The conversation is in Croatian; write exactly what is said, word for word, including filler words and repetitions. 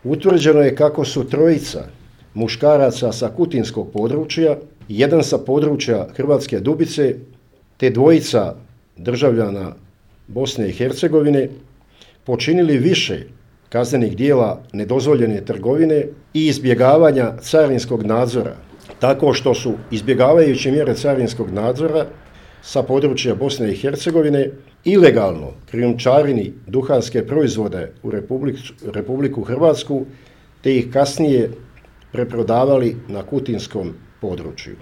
Utvrđeno je kako su trojica muškaraca sa kutinskog područja, jedan sa područja Hrvatske Dubice, te dvojica državljana Bosne i Hercegovine počinili više kaznenih djela nedozvoljene trgovine i izbjegavanja carinskog nadzora, tako što su izbjegavajući mjere carinskog nadzora sa područja Bosne i Hercegovine ilegalno krijumčarini duhanske proizvode u Republiku Hrvatsku te ih kasnije preprodavali na kutinskom području.